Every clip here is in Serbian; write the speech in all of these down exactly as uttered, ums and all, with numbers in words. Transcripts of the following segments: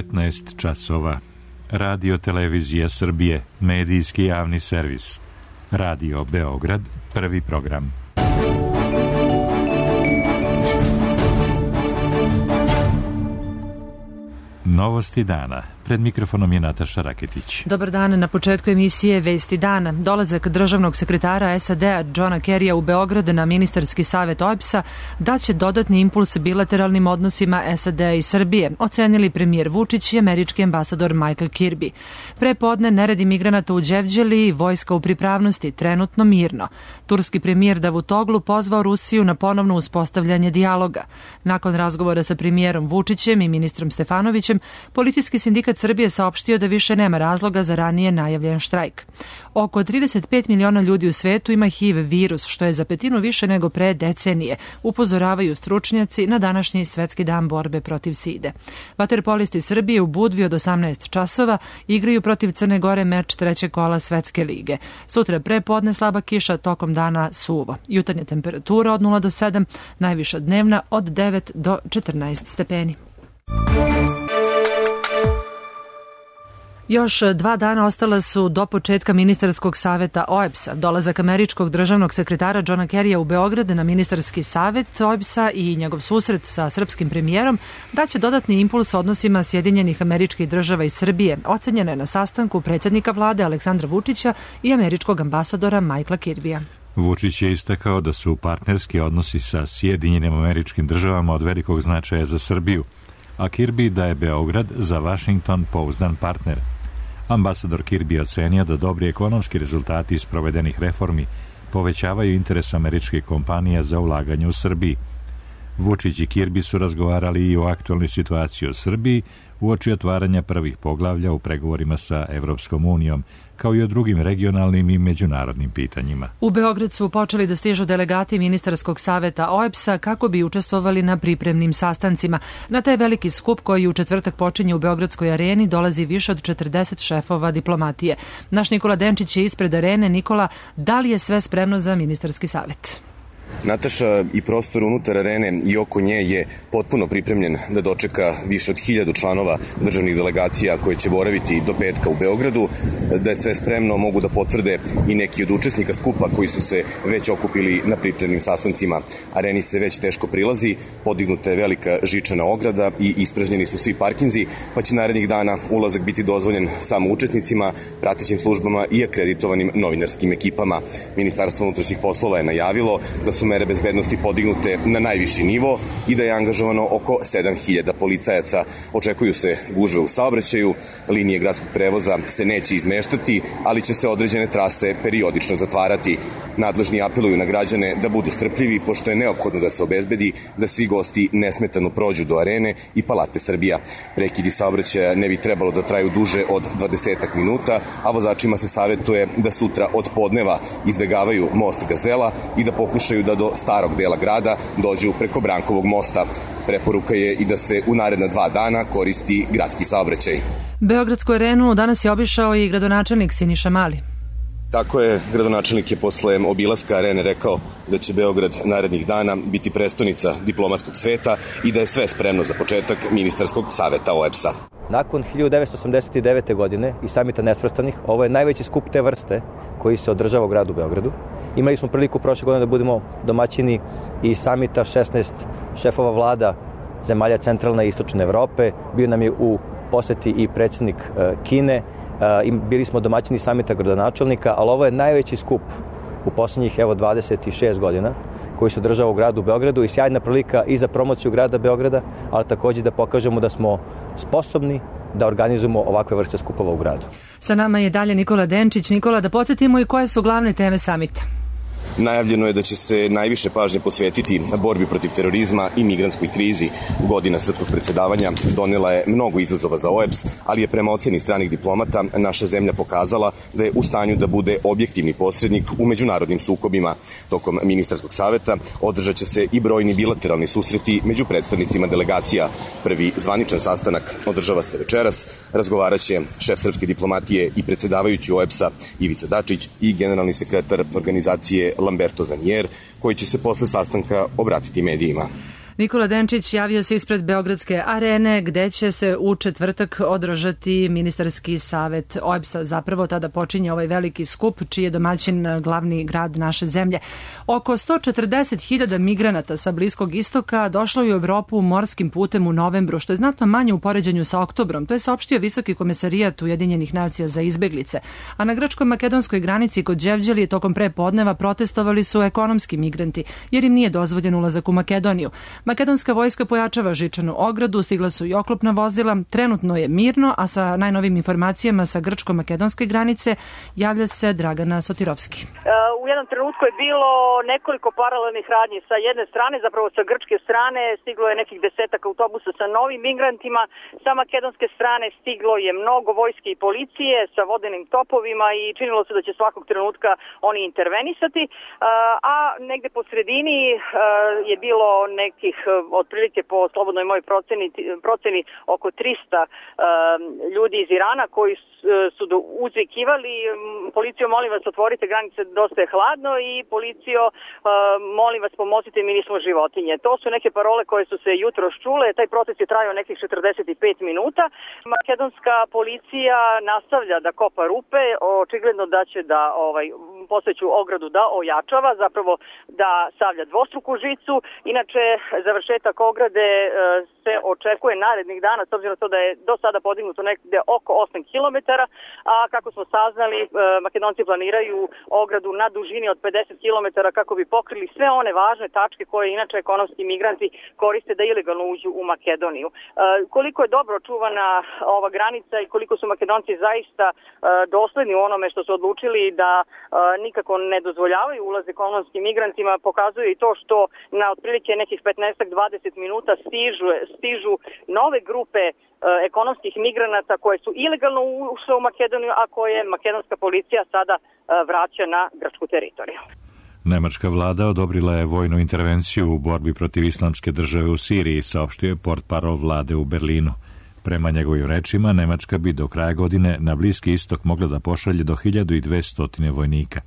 devetnaest časova. Radio Televizija Srbije, medijski javni servis. Radio Beograd, prvi program. Novosti dana. Pred mikrofonom je Nataša Raketić. Dobar dan. Na početku emisije Vesti dana. Dolazak državnog sekretara S A D-a Johna Kerrya u Beograd na ministarski savet O E B S-a daće dodatni impuls bilateralnim odnosima S A D-a i Srbije, ocenili premijer Vučić i američki ambasador Michael Kirby. Prepodne neredi migranata u Đevđeli i vojska u pripravnosti, trenutno mirno. Turski premijer Davutoglu pozvao Rusiju na ponovno uspostavljanje dijaloga. Nakon razgovora sa premijerom Vučićem i ministrom Stefanovićem, policijski sindikat Srbije saopštio da više nema razloga za ranije najavljen štrajk. Oko trideset pet miliona ljudi u svetu ima H I V virus, što je za petinu više nego pre decenije, upozoravaju stručnjaci na današnji svetski dan borbe protiv side. Vaterpolisti Srbije u Budvi od osamnaest časova igraju protiv Crne Gore meč trećeg kola Svetske lige. Sutra prepodne slaba kiša, tokom dana suvo. Jutarnja temperatura od nula do sedam, najviša dnevna od devet do četrnaest stepeni. Još dva dana ostala su do početka ministarskog saveta O E B S-a. Dolazak američkog državnog sekretara Johna Kerrya u Beograd na ministarski savet O E B S-a i njegov susret sa srpskim premijerom daće dodatni impuls odnosima Sjedinjenih Američkih Država i Srbije, ocenjena je na sastanku predsjednika vlade Aleksandra Vučića i američkog ambasadora Michaela Kirbya. Vučić je istakao da su partnerski odnosi sa Sjedinjenim Američkim Državama od velikog značaja za Srbiju, a Kirby da je Beograd za Washington pouzdan partner. Ambasador Kirby ocenio da dobri ekonomski rezultati iz provedenih reformi povećavaju interes američkih kompanija za ulaganje u Srbiji. Vučić i Kirby su razgovarali i o aktualnoj situaciji u Srbiji uoči otvaranja prvih poglavlja u pregovorima sa Evropskom unijom, kao i o drugim regionalnim i međunarodnim pitanjima. U Beograd su počeli da stižu delegati ministarskog saveta O E B S-a kako bi učestvovali na pripremnim sastancima. Na taj veliki skup koji u četvrtak počinje u Beogradskoj areni dolazi više od četrdeset šefova diplomatije. Naš Nikola Denčić je ispred arene. Nikola, da li je sve spremno za ministarski savet? Nataša, i prostor unutar arene i oko nje je potpuno pripremljen da dočeka više od hiljadu članova državnih delegacija koje će boraviti do petka u Beogradu. Da je sve spremno mogu da potvrde i neki od učesnika skupa koji su se već okupili na pripremnim sastancima. Areni se već teško prilazi, podignuta je velika žičana ograda i ispražnjeni su svi parkinzi, pa će narednih dana ulazak biti dozvoljen samo učesnicima, pratećim službama i akreditovanim novinarskim ekipama. Ministarstvo unutrašnjih poslova je najavilo da su mere bezbednosti podignute na najviši nivo i da je angažovano oko sedam hiljada policajaca. Očekuju se gužve u saobraćaju, linije gradskog prevoza se neće izmeštati, ali će se određene trase periodično zatvarati. Nadležni apeluju na građane da budu strpljivi, pošto je neophodno da se obezbedi da svi gosti nesmetano prođu do arene i Palate Srbija. Prekidi saobraćaja ne bi trebalo da traju duže od dvadesetak minuta, a vozačima se savetuje da sutra od podneva izbegavaju most Gazela i da pokušaju da do starog dela grada dođu preko Brankovog mosta. Preporuka je i da se u naredna dva dana koristi gradski saobraćaj. Beogradsku arenu danas je obišao i gradonačelnik Siniša Mali. Tako je, gradonačelnik je posle obilaska arene rekao da će Beograd narednih dana biti prestonica diplomatskog sveta i da je sve spremno za početak ministarskog saveta O E B S-a. Nakon hiljadu devetsto osamdeset devete. godine i samita nesvrstanih, ovo je najveći skup te vrste koji se održava u gradu Beogradu. Imali smo priliku prošle godine da budemo domaćini i samita šesnaest šefova vlada zemalja centralne i istočne Evrope. Bio nam je u poseti i predsjednik Kine. Bili smo domaćini samita gradonačelnika, ali ovo je najveći skup u posljednjih evo dvadeset šest godina koji se održava u gradu Beogradu i sjajna prilika i za promociju grada Beograda, ali također da pokažemo da smo sposobni da organizujemo ovakve vrste skupova u gradu. Sa nama je dalje Nikola Denčić. Nikola, da podsjetimo i koje su glavne teme samita. Najavljeno je da će se najviše pažnje posvetiti borbi protiv terorizma i migrantskoj krizi. Godina srpskog predsjedavanja donela je mnogo izazova za O E B S, ali je prema oceni stranih diplomata naša zemlja pokazala da je u stanju da bude objektivni posrednik u međunarodnim sukobima. Tokom ministarskog saveta održat će se i brojni bilateralni susreti među predstavnicima delegacija. Prvi zvaničan sastanak održava se večeras. Razgovarat će šef srpske diplomatije i predsjedavajući O E B S-a Ivica Dačić i generalni sekretar organizacije Lamberto Zanier, koji će se posle sastanka obratiti medijima. Nikola Denčić javio se ispred Beogradske arene gde će se u četvrtak održati ministarski savet O E B S-a. Zapravo tada počinje ovaj veliki skup čiji je domaćin glavni grad naše zemlje. Oko sto četrdeset hiljada migranata sa Bliskog istoka došlo je u Evropu morskim putem u novembru, što je znatno manje u poređenju sa oktobrom. To je saopštio Visoki komesarijat Ujedinjenih nacija za izbeglice. A na grčko-makedonskoj granici kod Đevđelije tokom prepodneva protestovali su ekonomski migranti, jer im nije dozvoljen ulazak u Makedoniju. Makedonska vojska pojačava žičanu ogradu, stigla su i oklopna vozila, trenutno je mirno, a sa najnovim informacijama sa grčko-makedonske granice javlja se Dragana Sotirovski. U jednom trenutku je bilo nekoliko paralelnih radnji. Sa jedne strane, zapravo sa grčke strane, stiglo je nekih desetak autobusa sa novim migrantima, sa makedonske strane stiglo je mnogo vojske i policije sa vodenim topovima i činilo se da će svakog trenutka oni intervenisati, a negde po sredini je bilo nekih, otprilike po slobodnoj mojoj proceni, proceni oko trista ljudi iz Irana koji su uzvikivali: policijo, molim vas, otvorite granice, dosta je hladno, i policijo, molim vas, pomozite, mi nismo životinje. To su neke parole koje su se jutros čule. Taj proces je trajao nekih četrdeset pet minuta. Makedonska policija nastavlja da kopa rupe, očigledno da će da ovaj, postojeću ogradu da ojačava, zapravo da stavlja dvostruku žicu. Inače, završetak ograde se očekuje narednih dana, s obzirom na to da je do sada podignuto nekde oko osam kilometara, a kako smo saznali, Makedonci planiraju ogradu na dužini od pedeset kilometara kako bi pokrili sve one važne tačke koje inače ekonomski migranti koriste da ilegalno uđu u Makedoniju. Koliko je dobro čuvana ova granica i koliko su Makedonci zaista dosledni u onome što su odlučili da nikako ne dozvoljavaju ulaz ekonomskim migrantima, pokazuje i to što na otprilike nekih petnaest do dvadeset minuta stižu, stižu nove grupe ekonomskih migranata koje su ilegalno ušle u Makedoniju, a koje makedonska policija sada vraća na grčku teritoriju. Nemačka vlada odobrila je vojnu intervenciju u borbi protiv islamske države u Siriji, saopštio je portparol vlade u Berlinu. Prema njegovim rečima, Nemačka bi do kraja godine na Bliski istok mogla da pošalje do hiljadu dvesta vojnika.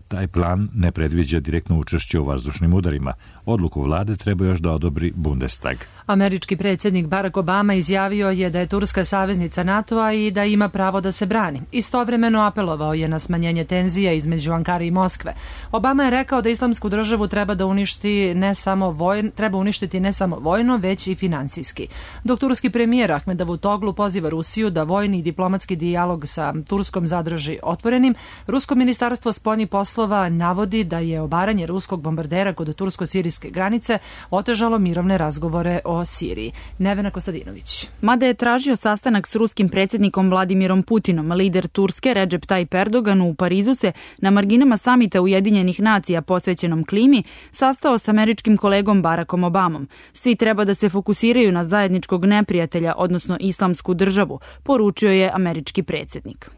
Taj plan ne predviđa direktno učešće u vazdušnim udarima. Odluku vlade treba još da odobri Bundestag. Američki predsjednik Barack Obama izjavio je da je Turska saveznica NATO-a i da ima pravo da se brani. Istovremeno apelovao je na smanjenje tenzija između Ankare i Moskve. Obama je rekao da islamsku državu treba da uništi ne samo vojno, treba uništiti ne samo vojno, već i finansijski. Dok turski premijer Ahmed Davutoglu poziva Rusiju da vojni i diplomatski dijalog sa Turskom zadrži otvorenim, Rusko ministarstvo spoljnih poslova navodi da je obaranje ruskog bombardera kod tursko-sirijske granice otežalo mirovne razgovore o Siriji. Nevena Kostadinović. Mada je tražio sastanak s ruskim predsjednikom Vladimirom Putinom, lider Turske Recep Tayyip Erdogan u Parizu se na marginama samita Ujedinjenih nacija posvećenom klimi sastao s američkim kolegom Barackom Obamom. Svi treba da se fokusiraju na zajedničkog neprijatelja, odnosno islamsku državu, poručio je američki predsjednik.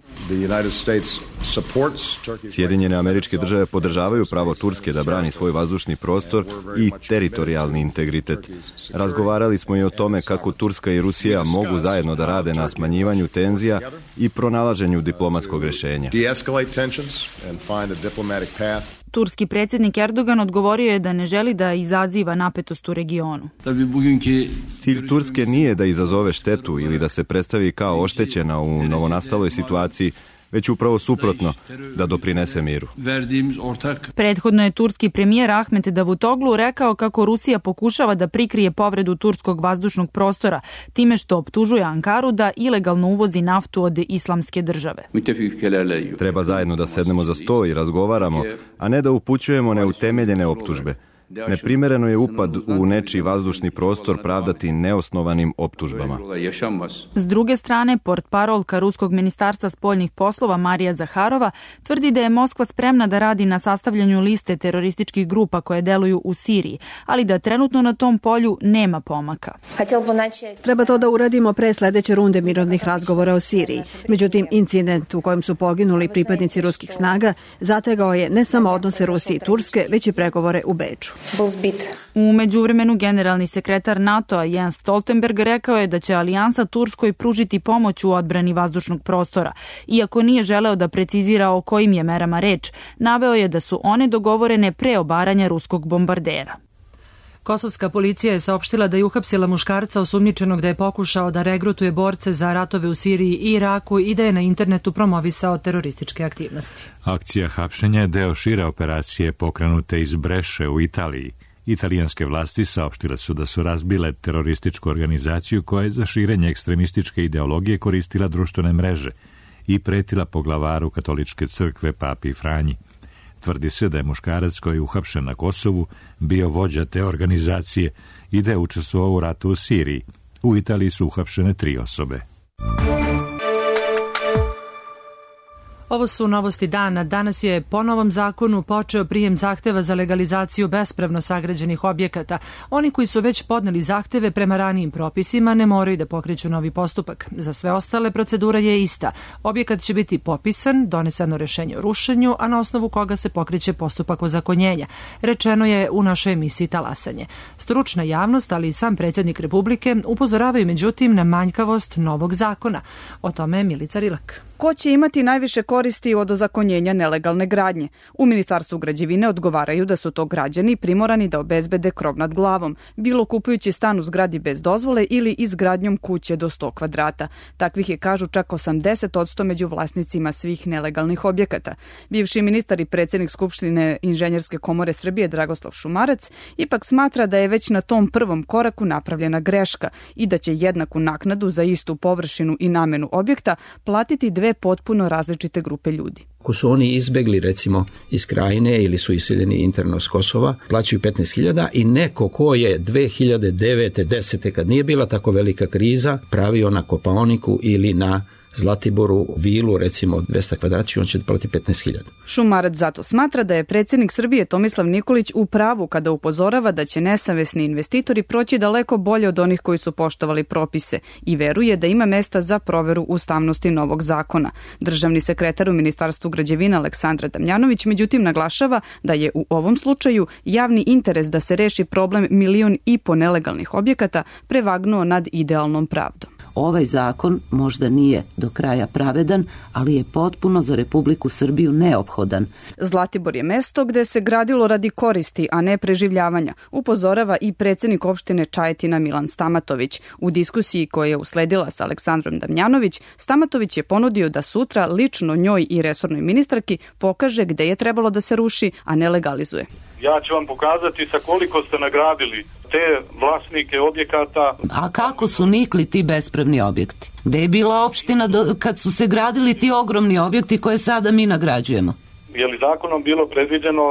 Sjedinjene Američke države podržavaju pravo Turske da brani svoj vazdušni prostor i teritorijalni integritet. Razgovarali smo i o tome kako Turska i Rusija mogu zajedno da rade na smanjivanju tenzija i pronalaženju diplomatskog rješenja. Turski predsjednik Erdogan odgovorio je da ne želi da izaziva napetost u regionu. Cilj Turske nije da izazove štetu ili da se predstavi kao oštećena u novonastaloj situaciji, već upravo suprotno, da doprinese miru. Prethodno je turski premijer Ahmed Davutoglu rekao kako Rusija pokušava da prikrije povredu turskog vazdušnog prostora time što optužuje Ankaru da ilegalno uvozi naftu od islamske države. Treba zajedno da sednemo za sto i razgovaramo, a ne da upućujemo neutemeljene optužbe. Neprimereno je upad u nečiji vazdušni prostor pravdati neosnovanim optužbama. S druge strane, portparolka Ruskog ministarstva spoljnih poslova Marija Zaharova tvrdi da je Moskva spremna da radi na sastavljanju liste terorističkih grupa koje deluju u Siriji, ali da trenutno na tom polju nema pomaka. Treba to da uradimo pre sledeće runde mirovnih razgovora o Siriji. Međutim, incident u kojem su poginuli pripadnici ruskih snaga zategao je ne samo odnose Rusije i Turske, već i pregovore u Beču. U međuvremenu generalni sekretar NATO-a Jens Stoltenberg rekao je da će alijansa Turskoj pružiti pomoć u odbrani vazdušnog prostora. Iako nije želeo da precizira o kojim je merama reč, naveo je da su one dogovorene pre obaranja ruskog bombardera. Kosovska policija je saopštila da je uhapsila muškarca osumnjičenog da je pokušao da regrutuje borce za ratove u Siriji i Iraku i da je na internetu promovisao terorističke aktivnosti. Akcija hapšenja je deo šire operacije pokrenute iz Breše u Italiji. Italijanske vlasti saopštile su da su razbile terorističku organizaciju koja je za širenje ekstremističke ideologije koristila društvene mreže i pretila poglavaru katoličke crkve Papi Franji. Tvrdi se da je muškarac koji je uhapšen na Kosovu bio vođa te organizacije i da je učestvovao u ratu u Siriji. U Italiji su uhapšene tri osobe. Ovo su novosti dana. Danas je po novom zakonu počeo prijem zahteva za legalizaciju bespravno sagrađenih objekata. Oni koji su već podneli zahteve prema ranijim propisima ne moraju da pokreću novi postupak. Za sve ostale procedura je ista. Objekat će biti popisan, doneseno rešenje o rušenju, a na osnovu koga se pokreće postupak ozakonjenja. Rečeno je u našoj emisiji Talasanje. Stručna javnost, ali i sam predsjednik Republike upozoravaju međutim na manjkavost novog zakona. O tome je Milica Rilak. Ko će imati najviše koristi od ozakonjenja nelegalne gradnje? U Ministarstvu građevine odgovaraju da su to građani primorani da obezbede krov nad glavom, bilo kupujući stan u zgradi bez dozvole ili izgradnjom kuće do sto kvadrata. Takvih je, kažu, čak osamdeset posto među vlasnicima svih nelegalnih objekata. Bivši ministar i predsjednik Skupštine Inženjerske komore Srbije Dragoslav Šumarac ipak smatra da je već na tom prvom koraku napravljena greška i da će jednaku naknadu za istu površinu i namenu objekta platiti dve potpuno različite grupe ljudi. Ako su oni izbegli recimo iz Krajine ili su iseljeni interno s Kosova, plaćaju petnaest hiljada i neko ko je dve hiljade devete. desete kad nije bila tako velika kriza, pravio na Kopaoniku ili na Zlatiboru vilu, recimo dvesta kvadrata, on će platiti petnaest hiljada. Šumarac zato smatra da je predsjednik Srbije Tomislav Nikolić u pravu kada upozorava da će nesavesni investitori proći daleko bolje od onih koji su poštovali propise i veruje da ima mesta za proveru ustavnosti novog zakona. Državni sekretar u Ministarstvu građevina Aleksandra Damjanović međutim naglašava da je u ovom slučaju javni interes da se reši problem milion i po nelegalnih objekata prevagnuo nad idealnom pravdom. Ovaj zakon možda nije do kraja pravedan, ali je potpuno za Republiku Srbiju neophodan. Zlatibor je mesto gde se gradilo radi koristi, a ne preživljavanja, upozorava i predsjednik opštine Čajetina Milan Stamatović. U diskusiji koja je usledila sa Aleksandrom Damjanović, Stamatović je ponudio da sutra lično njoj i resornoj ministarki pokaže gde je trebalo da se ruši, a ne legalizuje. Ja ću vam pokazati sa koliko ste nagradili te vlasnike objekata. A kako su nikli ti bespravni objekti? Gde je bila opština do, kad su se gradili ti ogromni objekti koje sada mi nagrađujemo? Je li zakonom bilo predviđeno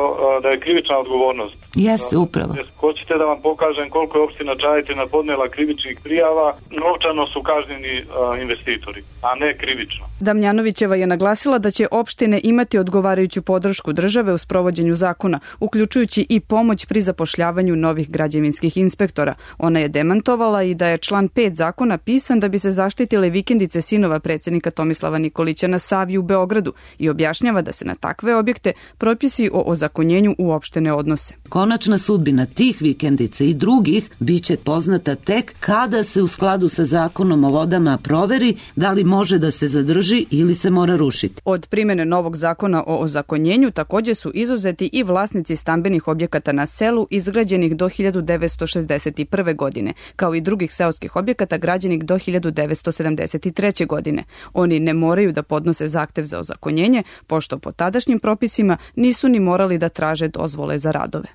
da je krivična odgovornost? Jeste, upravo. Hoćete da vam pokažem koliko je opština Čajetina podnela krivičnih prijava? Novčano su kažnjeni investitori, a ne krivično. Damjanovićeva je naglasila da će opštine imati odgovarajuću podršku države u sprovođenju zakona, uključujući i pomoć pri zapošljavanju novih građevinskih inspektora. Ona je demantovala i da je član pet zakona pisan da bi se zaštitile vikendice sinova predsjednika Tomislava Nikolića na Savi u Beogradu i objašnjava da se na takve objekte propisi o ozakonjenju uopšte ne odnose. Konačna sudbina tih vikendica i drugih biće poznata tek kada se u skladu sa zakonom o vodama proveri da li može da se zadrži ili se mora rušiti. Od primjene novog zakona o ozakonjenju također su izuzeti i vlasnici stambenih objekata na selu izgrađenih do hiljadu devetsto šezdeset prve. godine, kao i drugih seoskih objekata građenih do hiljadu devetsto sedamdeset treće. godine. Oni ne moraju da podnose zahtev za ozakonjenje, pošto po tadašnjim propisima nisu ni morali da traže dozvole za radove.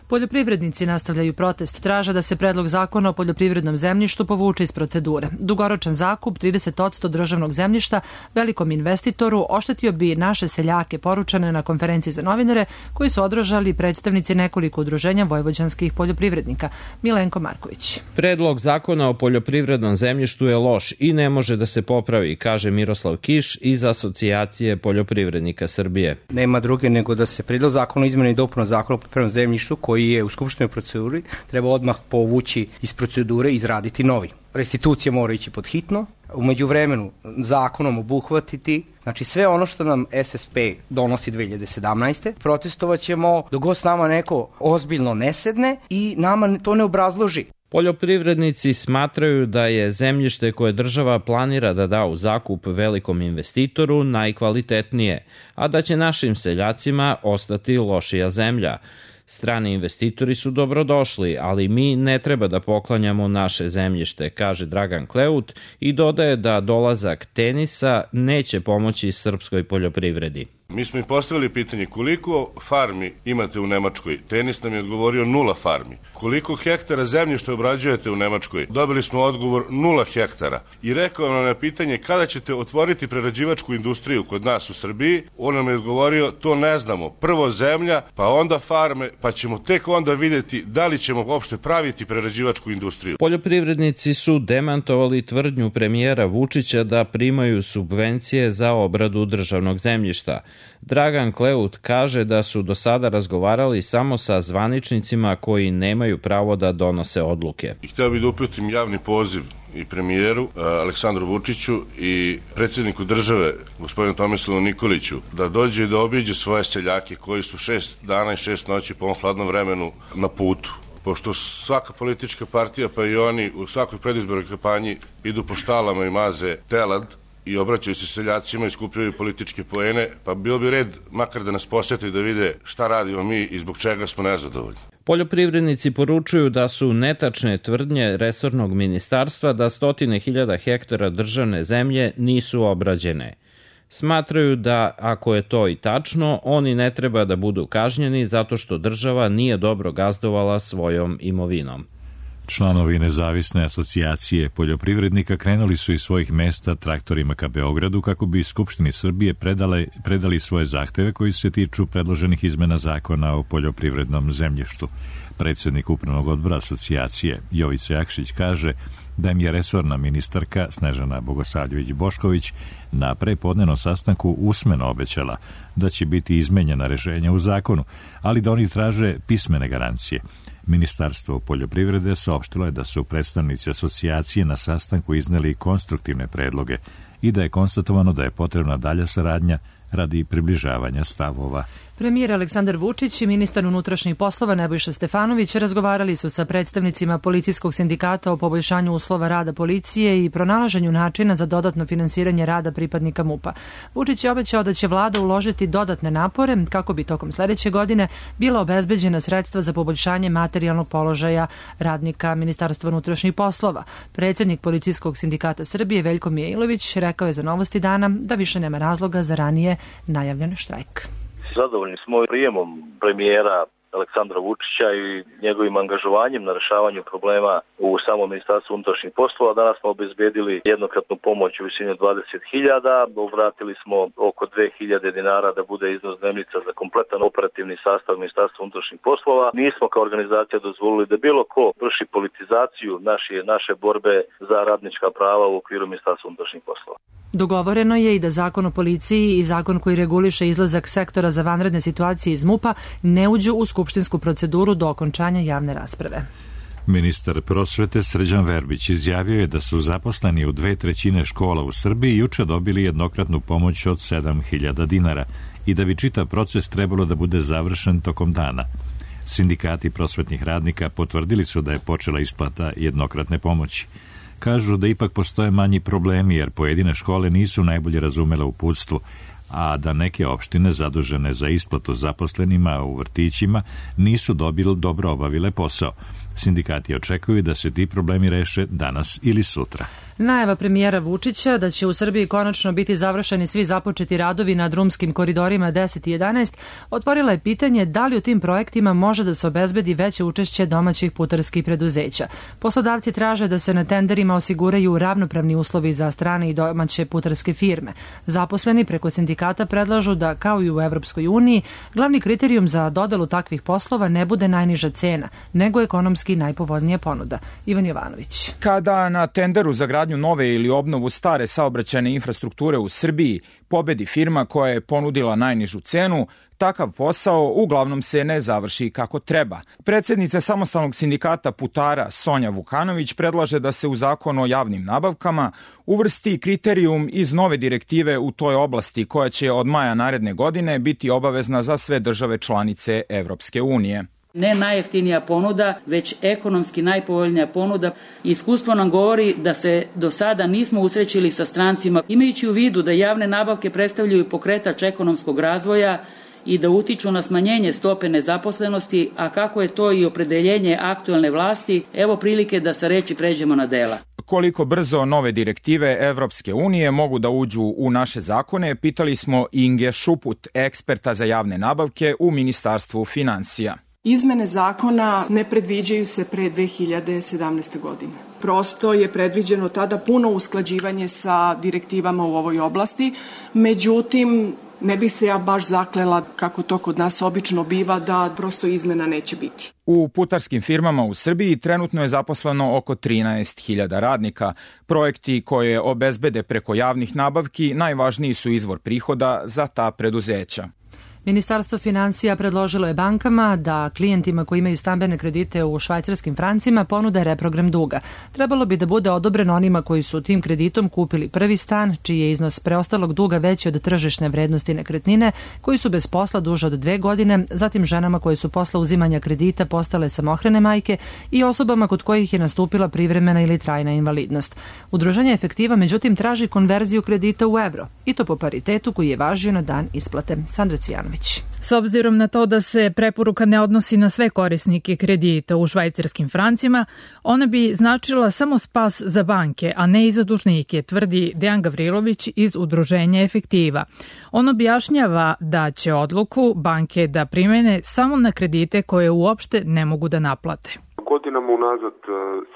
Poljoprivrednici nastavljaju protest, traže da se predlog zakona o poljoprivrednom zemljištu povuče iz procedure. Dugoročan zakup trideset posto državnog zemljišta velikom investitoru oštetio bi naše seljake, poručene na konferenciji za novinare koji su održali predstavnici nekoliko udruženja vojvođanskih poljoprivrednika. Milenko Marković. Predlog zakona o poljoprivrednom zemljištu je loš i ne može da se popravi, kaže Miroslav Kiš iz Asocijacije poljoprivrednika Srbije. Nema druge nego da se predlog zakona o izmeni i dopuna zakona o poljoprivrednom zemljištu koji koji je u skupštinoj proceduri, treba odmah povući iz procedure i izraditi novi. Restitucija mora ići pod hitno, u međuvremenu zakonom obuhvatiti, znači sve ono što nam S S P donosi dve hiljade sedamnaeste. Protestovat ćemo dok god s nama neko ozbiljno ne sedne i nama to ne obrazloži. Poljoprivrednici smatraju da je zemljište koje država planira da da u zakup velikom investitoru najkvalitetnije, a da će našim seljacima ostati lošija zemlja. Strani investitori su dobrodošli, ali mi ne treba da poklanjamo naše zemljište, kaže Dragan Kleut i dodaje da dolazak Tenisa neće pomoći srpskoj poljoprivredi. Mi smo im postavili pitanje koliko farmi imate u Nemačkoj. Tenis nam je odgovorio nula farmi. Koliko hektara zemljišta obrađujete u Nemačkoj? Dobili smo odgovor nula hektara. I rekao nam na pitanje kada ćete otvoriti prerađivačku industriju kod nas u Srbiji. On nam je odgovorio to ne znamo. Prvo zemlja, pa onda farme, pa ćemo tek onda vidjeti da li ćemo uopšte praviti prerađivačku industriju. Poljoprivrednici su demantovali tvrdnju premijera Vučića da primaju subvencije za obradu državnog zemljišta. Dragan Kleut kaže da su do sada razgovarali samo sa zvaničnicima koji nemaju pravo da donose odluke. I htio bih da uputim javni poziv i premijeru Aleksandru Vučiću i predsjedniku države gospodinu Tomislavu Nikoliću da dođe i da obiđe svoje seljake koji su šest dana i šest noći po ovom hladnom vremenu na putu. Pošto svaka politička partija pa i oni u svakoj predizbornoj kampanji idu po štalama i maze telad i obraćaju se seljacima i skupljaju političke poene, pa bilo bi red makar da nas posjete i da vide šta radimo mi i zbog čega smo nezadovoljni. Poljoprivrednici poručuju da su netačne tvrdnje resornog ministarstva da stotine hiljada hektara državne zemlje nisu obrađene. Smatraju da, ako je to i tačno, oni ne treba da budu kažnjeni zato što država nije dobro gazdovala svojom imovinom. Članovi nezavisne asocijacije poljoprivrednika krenuli su iz svojih mesta traktorima ka Beogradu kako bi Skupštini Srbije predale, predali svoje zahteve koji se tiču predloženih izmena zakona o poljoprivrednom zemljištu. Predsjednik upravnog odbora asocijacije Jovica Jakšić kaže da im je resorna ministarka Snežana Bogosavljević-Bošković na prepodnenom sastanku usmeno obećala da će biti izmenjena rešenja u zakonu, ali da oni traže pismene garancije. Ministarstvo poljoprivrede saopštilo je da su predstavnici asocijacije na sastanku izneli konstruktivne predloge i da je konstatovano da je potrebna dalja saradnja radi približavanja stavova. Premijer Aleksandar Vučić i ministar unutrašnjih poslova Nebojša Stefanović razgovarali su sa predstavnicima policijskog sindikata o poboljšanju uslova rada policije i pronalaženju načina za dodatno finansiranje rada pripadnika MUP-a. Vučić je obećao da će vlada uložiti dodatne napore kako bi tokom sledeće godine bila obezbeđena sredstva za poboljšanje materijalnog položaja radnika Ministarstva unutrašnjih poslova. Predsjednik policijskog sindikata Srbije Veljko Mijailović rekao je za Novosti dana da više nema razloga za ranije najavljen štrajk. Zadovoljni smo prijemom premijera Aleksandra Vučića i njegovim angažovanjem na rešavanju problema u samom Ministarstvu unutrašnjih poslova. Danas smo obezbedili jednokratnu pomoć u visini od dvadeset hiljada, obratili smo oko dve hiljade dinara da bude iznos dnevnica za kompletan operativni sastav Ministarstva unutrašnjih poslova. Nismo kao organizacija dozvolili da bilo ko vrši politizaciju naše, naše borbe za radnička prava u okviru Ministarstva unutrašnjih poslova. Dogovoreno je i da zakon o policiji i zakon koji reguliše izlazak sektora za vanredne situacije iz MUP-a ne uđu u skupštinsku proceduru do okončanja javne rasprave. Ministar prosvete Srđan Verbić izjavio je da su zaposleni u dve trećine škola u Srbiji juče dobili jednokratnu pomoć od sedam hiljada dinara i da bi čitav proces trebalo da bude završen tokom dana. Sindikati prosvetnih radnika potvrdili su da je počela isplata jednokratne pomoći. Kažu da ipak postoje manji problemi jer pojedine škole nisu najbolje razumele uputstvo, a da neke opštine zadužene za isplatu zaposlenima u vrtićima nisu dobili dobro obavile posao. Sindikati očekuju da se ti problemi reše danas ili sutra. Najava premijera Vučića da će u Srbiji konačno biti završeni svi započeti radovi na drumskim koridorima deset i jedanaest otvorila je pitanje da li u tim projektima može da se obezbedi veće učešće domaćih putarskih preduzeća. Poslodavci traže da se na tenderima osiguraju ravnopravni uslovi za strane i domaće putarske firme. Zaposleni preko sindikata predlažu da, kao i u Evropskoj uniji, glavni kriterijum za dodelu takvih poslova ne bude najniža cena, nego ekonomski najpovoljnija ponuda. Ivan Jovanović. Kada na tenderu za gradnju nove ili obnovu stare saobraćajne infrastrukture u Srbiji pobedi firma koja je ponudila najnižu cenu, takav posao uglavnom se ne završi kako treba. Predsjednica samostalnog sindikata putara Sonja Vukanović predlaže da se u zakon o javnim nabavkama uvrsti kriterijum iz nove direktive u toj oblasti koja će od maja naredne godine biti obavezna za sve države članice Evropske unije. Ne najjeftinija ponuda, već ekonomski najpovoljnija ponuda. Iskustvo nam govori da se do sada nismo usrećili sa strancima. Imajući u vidu da javne nabavke predstavljaju pokretač ekonomskog razvoja i da utiču na smanjenje stope nezaposlenosti, a kako je to i opredeljenje aktuelne vlasti, evo prilike da sa reči pređemo na dela. Koliko brzo nove direktive Evropske unije mogu da uđu u naše zakone, pitali smo Inge Šuput, eksperta za javne nabavke u Ministarstvu finansija. Izmene zakona ne predviđaju se pre dve hiljade sedamnaeste. godine. Prosto je predviđeno tada puno usklađivanje sa direktivama u ovoj oblasti, međutim, ne bih se ja baš zaklela, kako to kod nas obično biva, da prosto izmena neće biti. U putarskim firmama u Srbiji trenutno je zaposleno oko trinaest hiljada radnika. Projekti koje obezbede preko javnih nabavki najvažniji su izvor prihoda za ta preduzeća. Ministarstvo finansija predložilo je bankama da klijentima koji imaju stambene kredite u švajcarskim francima ponude reprogram duga. Trebalo bi da bude odobreno onima koji su tim kreditom kupili prvi stan, čiji je iznos preostalog duga veći od tržišne vrednosti nekretnine, koji su bez posla duže od dve godine, zatim ženama koje su posle uzimanja kredita postale samohrane majke i osobama kod kojih je nastupila privremena ili trajna invalidnost. Udruženje Efektiva međutim traži konverziju kredita u evro, i to po paritetu koji je važio na dan isplate. Sandra Cvijanović. S obzirom na to da se preporuka ne odnosi na sve korisnike kredita u švajcarskim francima, ona bi značila samo spas za banke, a ne i za dužnike, tvrdi Dejan Gavrilović iz Udruženja Efektiva. On objašnjava da će odluku banke da primene samo na kredite koje uopšte ne mogu da naplate. Godinama unazad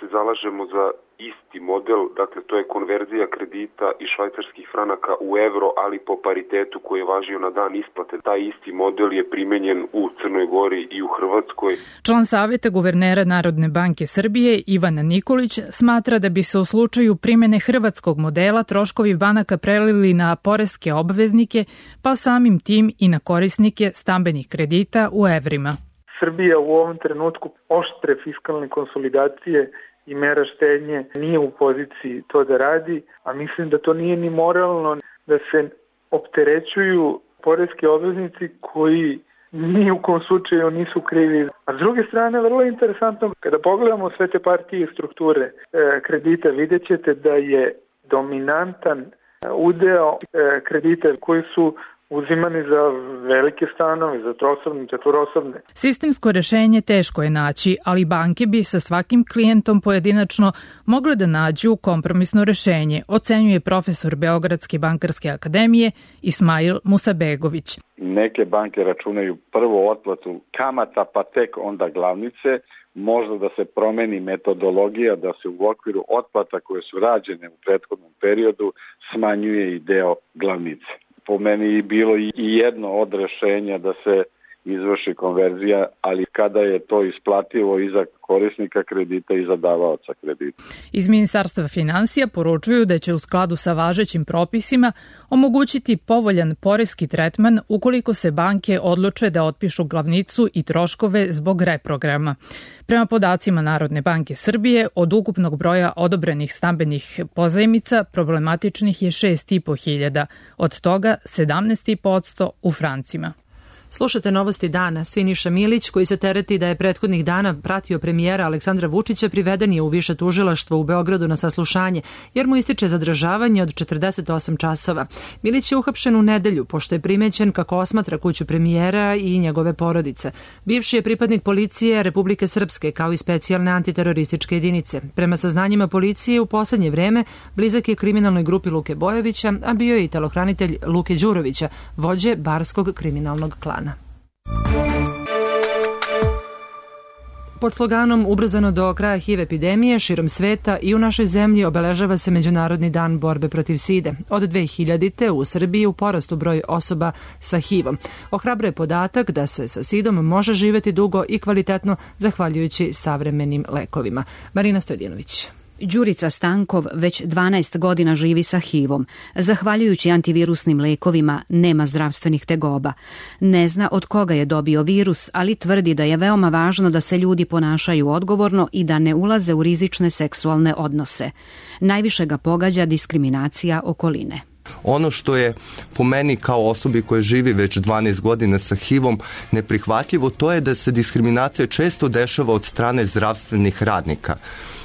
se zalažemo za isti model, dakle to je konverzija kredita iz švajcarskih franaka u evro, ali po paritetu koji je važio na dan isplate. Taj isti model je primenjen u Crnoj Gori i u Hrvatskoj. Član savjeta guvernera Narodne banke Srbije Ivana Nikolić smatra da bi se u slučaju primene hrvatskog modela troškovi banaka prelili na poreske obveznike, pa samim tim i na korisnike stambenih kredita u evrima. Srbija u ovom trenutku oštre fiskalne konsolidacije i mera štednje nije u poziciji to da radi, a mislim da to nije ni moralno da se opterećuju poreski obveznici koji ni u kom slučaju nisu krivi. A s druge strane, vrlo interesantno, kada pogledamo sve te partije i strukture e, kredita, vidjet ćete da je dominantan udeo e, kredita koji su uzimani za velike stanove, za trosobne, četvorosobne. Sistemsko rešenje teško je naći, ali banke bi sa svakim klijentom pojedinačno mogle da nađu kompromisno rešenje, ocenjuje profesor Beogradske bankarske akademije Ismail Musabegović. Neke banke računaju prvo otplatu kamata, pa tek onda glavnice. Možda da se promeni metodologija, da se u okviru otplata koje su rađene u prethodnom periodu smanjuje i deo glavnice. Po meni je bilo i jedno od rešenja da se izvrši konverzija, ali kada je to isplativo i za korisnika kredita i za davaoca kredita. Iz Ministarstva finansija poručuju da će u skladu sa važećim propisima omogućiti povoljan poreski tretman ukoliko se banke odluče da otpišu glavnicu i troškove zbog reprograma. Prema podacima Narodne banke Srbije, od ukupnog broja odobrenih stambenih pozajmica problematičnih je šest i po hiljada, od toga sedamnaest i po posto u francima. Slušate novosti dana. Siniša Milić, koji se tereti da je prethodnih dana pratio premijera Aleksandra Vučića, priveden je u više tužilaštvo u Beogradu na saslušanje, jer mu ističe zadržavanje od četrdeset osam časova. Milić je uhapšen u nedelju, pošto je primećen kako osmatra kuću premijera i njegove porodice. Bivši je pripadnik policije Republike Srpske, kao i specijalne antiterorističke jedinice. Prema saznanjima policije, u poslednje vreme blizak je kriminalnoj grupi Luke Bojovića, a bio je i telohranitelj Luke Đurovića, vođe barskog kriminalnog klana. Pod sloganom ubrzano do kraja H I V epidemije širom sveta i u našoj zemlji obeležava se Međunarodni dan borbe protiv side. Od dve hiljadite u Srbiji u porastu broj osoba sa H I V-om. Ohrabruje podatak da se sa sidom može živeti dugo i kvalitetno zahvaljujući savremenim lekovima. Marina Stojdinović. Đurica Stankov već dvanaest godina živi sa H I V-om. Zahvaljujući antivirusnim lekovima nema zdravstvenih tegoba. Ne zna od koga je dobio virus, ali tvrdi da je veoma važno da se ljudi ponašaju odgovorno i da ne ulaze u rizične seksualne odnose. Najviše ga pogađa diskriminacija okoline. Ono što je po meni kao osobi koja živi već dvanaest godina sa H I V-om neprihvatljivo, to je da se diskriminacija često dešava od strane zdravstvenih radnika.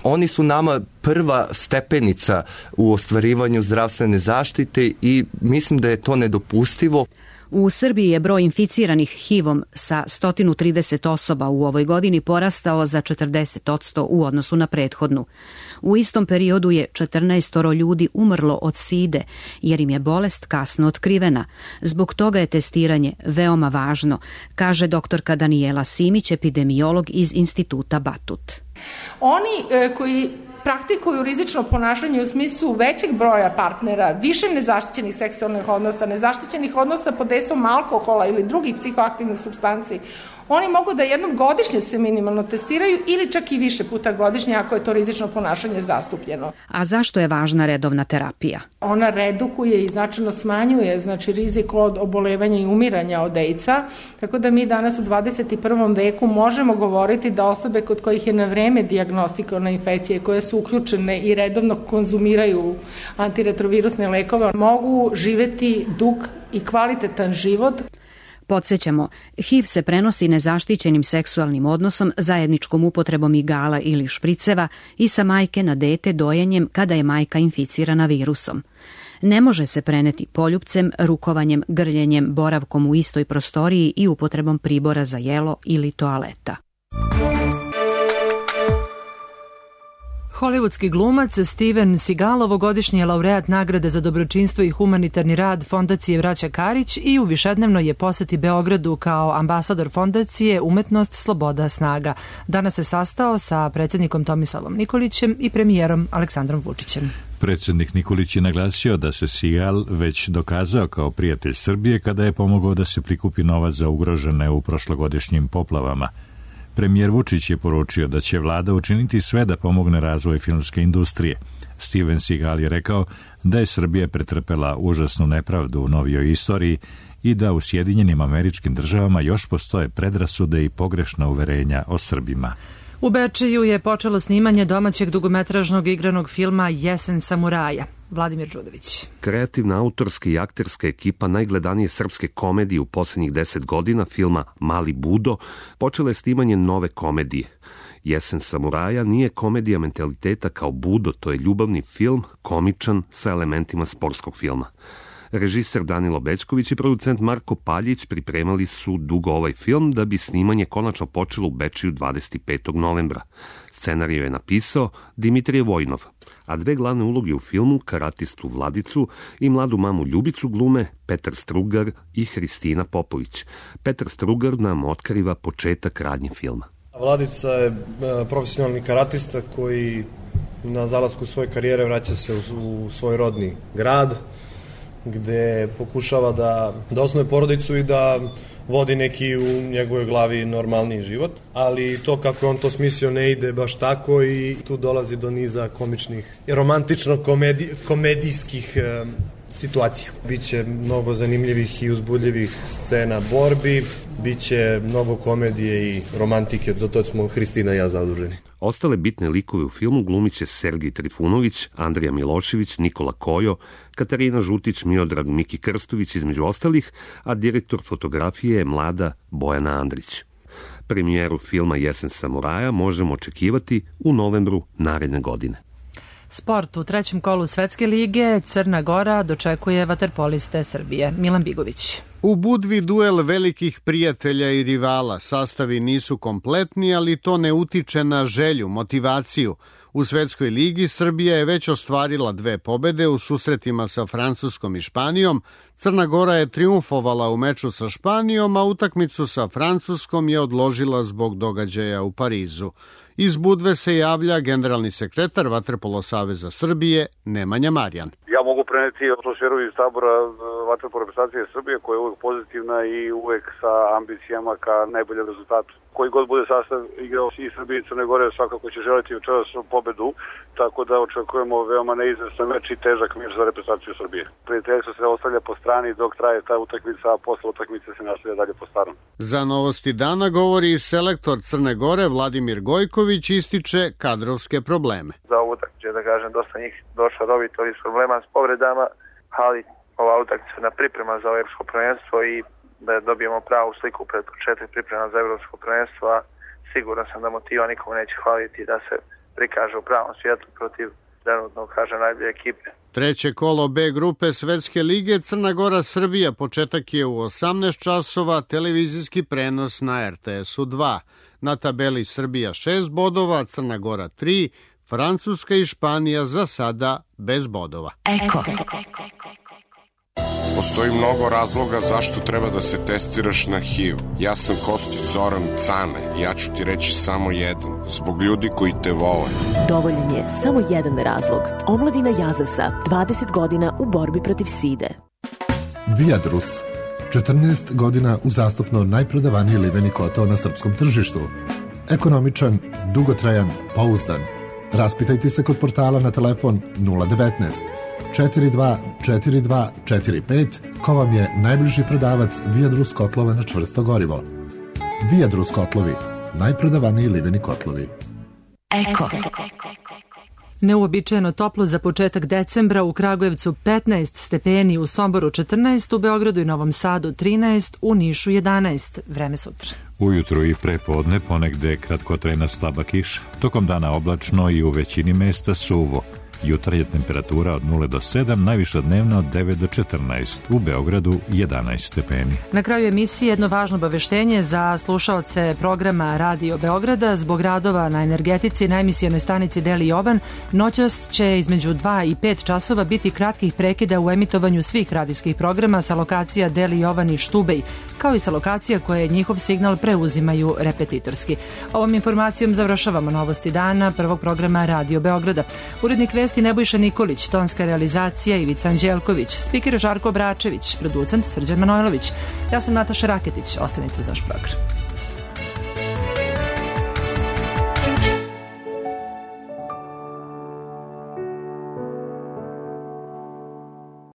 Oni su nama prva stepenica u ostvarivanju zdravstvene zaštite i mislim da je to nedopustivo. U Srbiji je broj inficiranih H I V-om sa sto trideset osoba u ovoj godini porastao za četrdeset posto u odnosu na prethodnu. U istom periodu je četrnaestoro ljudi umrlo od side, jer im je bolest kasno otkrivena. Zbog toga je testiranje veoma važno, kaže doktorka Danijela Simić, epidemiolog iz Instituta Batut. Oni e, koji praktikuju rizično ponašanje u smislu većeg broja partnera, više nezaštićenih seksualnih odnosa, nezaštićenih odnosa pod dejstvom alkohola ili drugih psihoaktivnih supstanci, oni mogu da jednom godišnje se minimalno testiraju ili čak i više puta godišnje ako je to rizično ponašanje zastupljeno. A zašto je važna redovna terapija? Ona redukuje i značajno smanjuje znači rizik od obolevanja i umiranja od AIDS-a, tako da mi danas u dvadeset prvom veku možemo govoriti da osobe kod kojih je na vreme dijagnostikovana infekcije, koje su uključene i redovno konzumiraju antiretrovirusne lekove, mogu živeti dug i kvalitetan život. Podsjećamo, H I V se prenosi nezaštićenim seksualnim odnosom, zajedničkom upotrebom igala ili špriceva i sa majke na dete dojenjem kada je majka inficirana virusom. Ne može se preneti poljupcem, rukovanjem, grljenjem, boravkom u istoj prostoriji i upotrebom pribora za jelo ili toaleta. Hollywoodski glumac Steven Seagal ovogodišnji je laureat nagrade za dobročinstvo i humanitarni rad Fondacije Braća Karić i u višednevnoj je poseti Beogradu kao ambasador Fondacije Umetnost, sloboda, snaga. Danas se sastao sa predsjednikom Tomislavom Nikolićem i premijerom Aleksandrom Vučićem. Predsjednik Nikolić je naglasio da se Seagal već dokazao kao prijatelj Srbije kada je pomogao da se prikupi novac za ugrožene u prošlogodišnjim poplavama. Premijer Vučić je poručio da će vlada učiniti sve da pomogne razvoj filmske industrije. Steven Seagal je rekao da je Srbija pretrpela užasnu nepravdu u novijoj istoriji i da u Sjedinjenim Američkim Državama još postoje predrasude i pogrešna uverenja o Srbima. U Bečeju je počelo snimanje domaćeg dugometražnog igranog filma Jesen samuraja. Vladimir Đudović. Kreativna, autorska i akterska ekipa najgledanije srpske komedije u posljednjih deset godina, filma Mali Budo, počela je snimanje nove komedije. Jesen samuraja nije komedija mentaliteta kao Budo, to je ljubavni film, komičan, sa elementima sportskog filma. Režiser Danilo Bećković i producent Marko Paljić pripremali su dugo ovaj film da bi snimanje konačno počelo u Bečeju dvadeset petog novembra. Scenariju je napisao Dimitrije Vojnov, a dve glavne uloge u filmu, karatistu Vladicu i mladu mamu Ljubicu, glume Petar Strugar i Hristina Popović. Petar Strugar nam otkriva početak radnje filma. Vladica je profesionalni karatista koji na zalasku svoje karijere vraća se u, u svoj rodni grad, gde pokušava da, da osnuje porodicu i da vodi neki u njegovoj glavi normalniji život, ali to kako on to smislio ne ide baš tako i tu dolazi do niza komičnih i romantično komedi, komedijskih e, situacija. Biće mnogo zanimljivih i uzbudljivih scena borbi, biće mnogo komedije i romantike, zato smo Hristina i ja zaduženi. Ostale bitne likove u filmu glumiće Sergij Trifunović, Andrija Milošević, Nikola Kojo, Katarina Žutić, Miodrag Miki Krstović između ostalih, a direktor fotografije je mlada Bojana Andrić. Premijeru filma Jesen samuraja možemo očekivati u novembru naredne godine. Sport u trećem kolu Svetske lige Crna Gora dočekuje vaterpoliste Srbije. Milan Bigović. U Budvi duel velikih prijatelja i rivala. Sastavi nisu kompletni, ali to ne utiče na želju, motivaciju. U Svetskoj ligi Srbija je već ostvarila dve pobede u susretima sa Francuskom i Španijom. Crna Gora je triumfovala u meču sa Španijom, a utakmicu sa Francuskom je odložila zbog događaja u Parizu. Iz Budve se javlja generalni sekretar Vaterpolo saveza Srbije Nemanja Marjan. Ja mogu preneti atmosferu iz tabora vaterpolo reprezentacije Srbije koja je uvek pozitivna i uvek sa ambicijama ka najboljem rezultatu. Koji god bude sastav igrao i Srbije i Crne Gore svakako će želiti večeras pobedu, tako da očekujemo veoma neizvestan meč i težak meč za reprezentaciju Srbije. Prijateljstvo se ostavlja po strani dok traje ta utakmica, a posle utakmice se nastavlja dalje po starom. Za Novosti dana govori selektor Crne Gore Vladimir Gojković, ističe kadrovske probleme. Za ovu utakmicu, da kažem, dosta njih došlo dobiti ovih problema s povredama, ali ova utakmica na priprema za evropsko prvenstvo i da dobijemo pravu sliku pred početak priprema za evropsko prvenstvo, a siguran sam da motiva nikomu neće hvaliti da se prikaže u pravom svijetu protiv trenutno, kažem, najbolje ekipe. Treće kolo B grupe Svetske lige Crna Gora-Srbija. Početak je u osamnaest časova, televizijski prenos na er te esu dva. Na tabeli Srbija šest bodova, Crna Gora tri, Francuska i Španija za sada bez bodova. Eko. Postoji mnogo razloga zašto treba da se testiraš na ha i ve. Ja sam Kostić Zoran Cane. Ja ću ti reći samo jedan. Zbog ljudi koji te vole. Dovoljan je samo jedan razlog. Omladina Jazasa, dvadeset godina u borbi protiv side. Viadrus. četrnaest godina uzastopno najprodavaniji liveni kotao na srpskom tržištu. Ekonomičan, dugotrajan, pouzdan. Raspitajte se kod portala na telefon nula devetnaest četiri dva četiri dva četiri pet ko vam je najbliži prodavac Viadrus kotlova na čvrsto gorivo. Viadrus kotlovi, najprodavaniji liveni kotlovi. Eko. Neuobičajeno toplo za početak decembra, u Kragujevcu petnaest stepeni, u Somboru četrnaest, u Beogradu i Novom Sadu trinaest, u Nišu jedanaest. Vreme sutra. Ujutru i prepodne ponegde kratkotrajna slaba kiša. Tokom dana oblačno i u većini mesta suvo. Jutarnja temperatura od nula do sedam, najviša dnevna od devet do četrnaest, u Beogradu jedanaest stepeni. Na kraju emisije jedno važno obaveštenje za slušaoce programa Radio Beograda. Zbog radova na energetici na emisijonoj stanici Deli Jovan, noćas će između dva i pet časova biti kratkih prekida u emitovanju svih radijskih programa sa lokacija Deli Jovan i Štubej, kao i sa lokacija koje njihov signal preuzimaju repetitorski. Ovom informacijom završavamo novosti dana prvog programa Radio Beograda. Urednik vesti Nebojša Nikolić, tonska realizacija Ivica Anđelković, spiker Žarko Bračević, producent Srđan Manojlović. Ja sam Nataša Raketić, ostanite uz naš program.